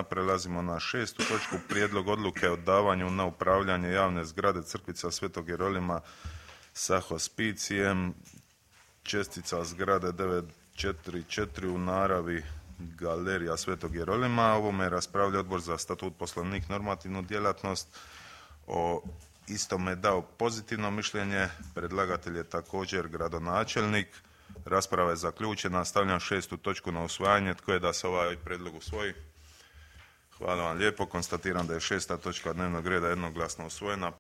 Prelazimo na 6. točku, prijedlog odluke o davanju na upravljanje javne zgrade Crkvica Svetog Jerolima sa hospicijem, čestica zgrade 944 u naravi Galerija Svetog Jerolima. Ovome je raspravljao Odbor za statut, poslovnik, normativnu djelatnost. O istome je dao pozitivno mišljenje. Predlagatelj je također gradonačelnik. Rasprava je zaključena. Stavljam 6. točku na usvajanje. Tko je da se ovaj prijedlog usvoji? Hvala vam lijepo. Konstatiram da je 6. točka dnevnog reda jednoglasno usvojena.